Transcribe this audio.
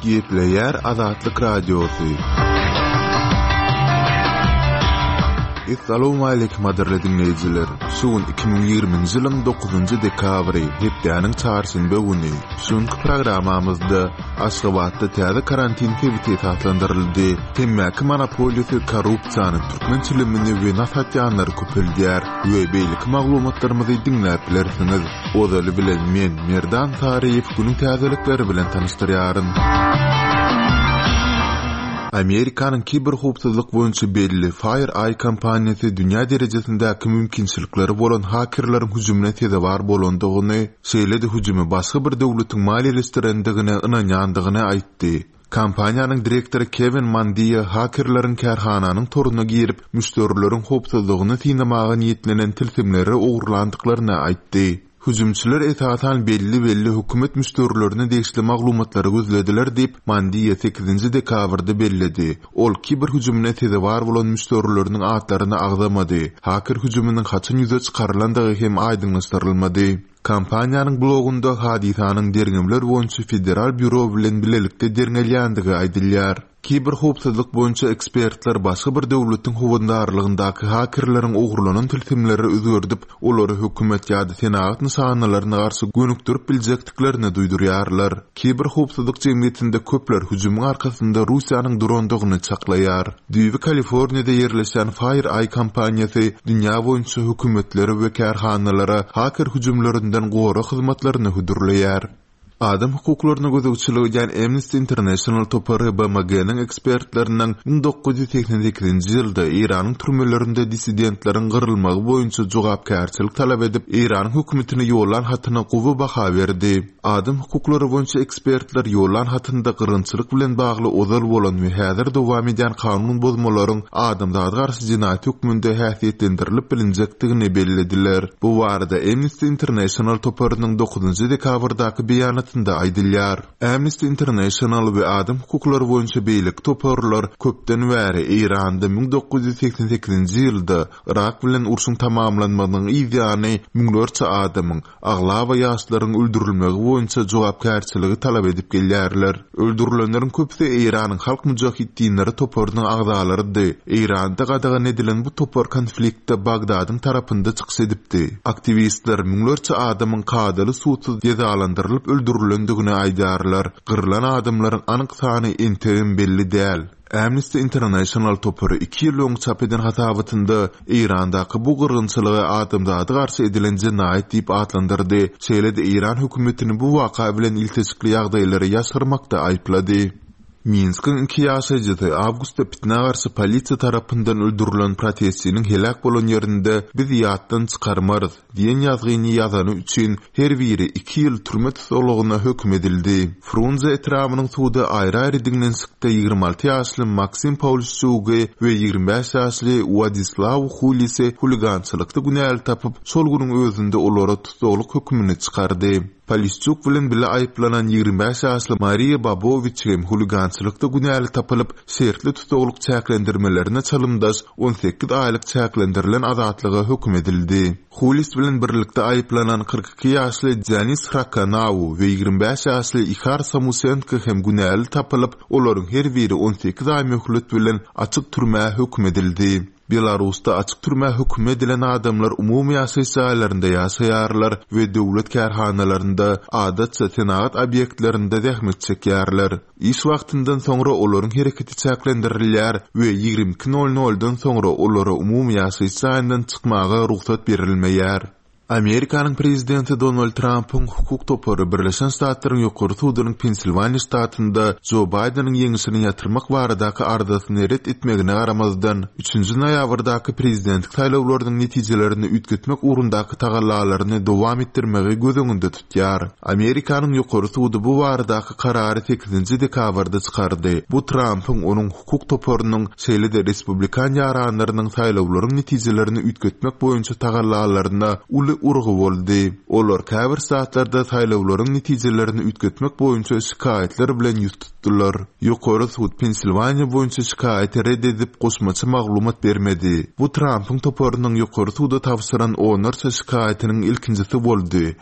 Gepleýär Azatlyk Radiosy. Essalawmaleýkim gadyrly diňleýjiler! Şu gün 2020-nji ýylyň 9-njy dekabry, hepdäniň çarşenbe güni. Şu günki programmamyzda Aşgabatda täze karantin sebiti esaslandyryldy. Temmäki monopoliýasy korrupsiýany, türkmen çilimini we nas satýanlary köpeldýär we beýleki maglumatlarymyzy diňläp bilersiňiz. Ozaly bilen men, Merdan Saryýew günüň täzelikleri bilen tanyşdyrýaryn. Amerikanyň kiberhowpsuzlyk boýunça belli FireEye kompaniýasy dünýä derejesindäki mümkinçilikleri bolan hakerleriň hüjümine sezewar bolandygyny, şeýle-de hüjümi başga bir döwletiň maliýeleşdirendigine ynanýandygyny aýtdy. Kompaniýanyň direktory Kewin Mandia hakerleriň kärhananyň toruna girip, müşderileriň howpsuzlygyny synamaga niýetlenen tilsimleri ogurlandyklaryny aýtdy. Hüjümçiler esasan belli-belli hökümet müşderilerine degişli maglumatlary gözlediler diýip, Mandia sekizinji dekabrda belledi. Ol kiber hüjümine sezewar bolan müşderileriniň atlaryny agzamady. Haker hüjüminiň haçan ýüze çykarylandygy hem aýdyňlaşdyrylmady. Kompaniýanyň blogunda hadysanyň derňewler boýunça federal býuro bilen bilelikde derňelýändigi aýdylýar. Kiberhowpsuzlyk boýunça ekspertler başga bir döwletiň howandarlygyndaky hakerleriň ogurlanan tilsimleri özgerdip, olary hökümet ýa-da senagat nyşanalaryna garşy gönükdirip biljekdiklerini duýdurýarlar. Kiberhowpsuzlyk jemgyýetinde köpler hüjümiň arkasynda Russiýanyň durandygyny çaklaýar. Düýbi Kaliforniýada ýerleşýän FireEye kompaniýasy dünýä boýunça hökümetlere we kärhanalara haker hüjümlerinden gorag hyzmatlaryny hödürleýär. Adam hukuklaryna gözegçilik edýän Amnesty International topary BMG-niň ekspertleriniň 1988-nji ýylda Eýranyň türmelerinde dissidentleriň gyrylmagy boýunça jogapkärçilik talap edip, Eýranyň hökümetine ýollan hatyna gowy baha berdi. Adam hukuklary boýunça ekspertler ýollan hatynda gyrgynçylyk bilen bagly ozal bolan we häzir dowam edýän kanun bozmalaryň adamzada garşy jenaýat hökmünde häsiýetlendirilip bilinjekdigini bellediler. Bu barada Amnesty International toparynyň dokuzynjy dekabrdaky beýanatynda aýdylýar. Amnesty International we adam hukuklary boýunça beýleki toparlar köpden bäri Eýranda 1988-nji ýylda Yrak bilen urşuň tamamlanmagynyň yz ýany müňlerçe adamyň, aglaba ýaşlaryň öldürilmegi boýunça jogapkärçiligi talap edip gelýärler. Öldürilenleriň köpüsi Eýranyň Halk mujahitdinleri toparynyň agzalarydy. Eýranda gadagan edilen bu topar konfliktde Bagdadyň tarapynda çykyş edipdi. Aktiwistler müňlerçe adamyň kadaly sudsuz jezalandyrylyp öldürilendigini aýdýarlar. Gyrlan adamlaryň anyk sany entegem belli däl. Amnesty International topary iki ýyl öň çap eden hasabatynda Eýrandaky bu gyrgynçylygy adamzada garşy edilen jenaýat diýip atlandyrdy, şeýle-de eýran hökümetini bu waka bilen ilteşikli ýagdaýlary ýaşyrmakda aýyplady. Minskiň iki ýaşaýjysy awgustda pitnä garşy polisiýa tarapyndan öldürilen protestçiniň heläk bolan ýerinde Biz ýatdan çykarmarys! Diýen ýazgyny ýazany üçin her biri iki ýyl türme tussaglygyna höküm edildi. Frunze etrabynyň sudy aýry-aýry diňlenişikde 26 ýaşly Maksim Pawlişçugy we 25 ýaşly Wladislaw Hulisi huligançylykda günäli tapyp, şol günüň özünde olara tussaglyk hökümini çykardy. Polişçuk bilen bile aýyplanan 25 ýaşly Mariýa Babowiç hem huligançylykda günäli tapylyp, şertli tussaglyk çäklendirmelerine çalymdaş 18 aýlyk çäklendirilen azatlyga höküm edildi. Hulis bilen birlikde aýyplanan 42 ýaşly Denis Hrakanau we 25 ýaşly Ihar Samusenko hem günäli tapylyp, olaryň her biri 18 aý möhlet bilen açyk türmä höküm edildi. Belarusda açyk türmä höküm edilen adamlar umumy ýaşaýyş jaýlarynda ýaşaýarlar we döwlet kärhanalarynda, adatça senagat obýektlerinde zähmet çekýärler. Iş wagtyndan soňra olaryň hereketi çäklendirilýär we 22 nol noldan soňra olara umumy ýaşaýyş jaýyndan çykmaga rugsat berilmeýär. Amerikanyň prezidenti Donald Trampyň hukuk topary Birleşen Ştatlaryň Ýokary sudunyň Pensilwaniýa ştatynda Jo Baýdeniň ýeňşini ýatyrmak baradaky arzasyny ret etmegine garamazdan, üçünji noýabrdaky prezidentlik saýlawlarynyň netijelerini üýtgetmek ugrundaky tagallalaryny dowam etdirmegi göz öňünde tutýar. Amerikanyň Ýokary sudy bu baradaky karary sekizinji dekabrda çykardy. Bu Trampyň, onuň hukuk toparynyň, şeýle-de respublikan ýaranlarynyň saýlawlaryň netijelerini üýtgetmek boýunça tagallalaryna uly urgy boldy. Olar käbir ştatlarda saýlawlaryň netijelerini üýtgetmek boýunça şikaýatlar bilen ýüz tutdular. Ýokary sud Pensilwaniýa boýunça şikaýaty ret edip, goşmaça maglumat bermedi. Bu Trampyň toparynyň ýokary suda tabşyran onlarça şikaýatynyň ilkinjisi boldy.